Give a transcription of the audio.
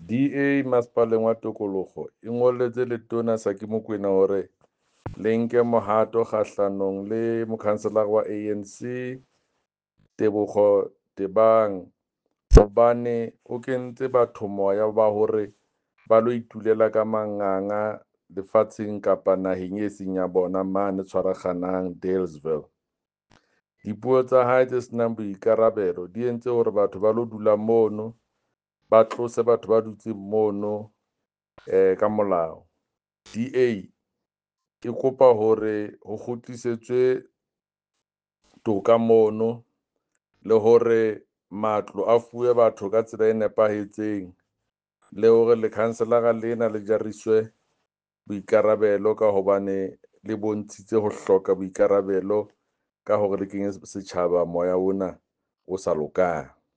DA masepaleng wa Tokologo e ngolletse letona Saki Mokoena hore le nke mohato kgahlanong le mokhanselara wa ANC Tebogo Tebang hobane o kentse batho moya ba hore ba lo itulela ka manganga lefatsheng kapa naheng e seng ya bona mane Tshwaraganang Dealesville. Dipuo tsa hae tse senang boikarabelo di entse hore batho ba lo dula mono, ba tlose batho ba dutseng mono ka molao. DA e kopa hore ho kgutlisetswe toka mono le hore matlo a fuwe batho ka tsela e nepahetseng le hore lekhanselara lena le jariswe boikarabelo ka hobane le bontshitse ho hloka boikarabelo ka hore le kenye setjhaba moya ona o sa lokang.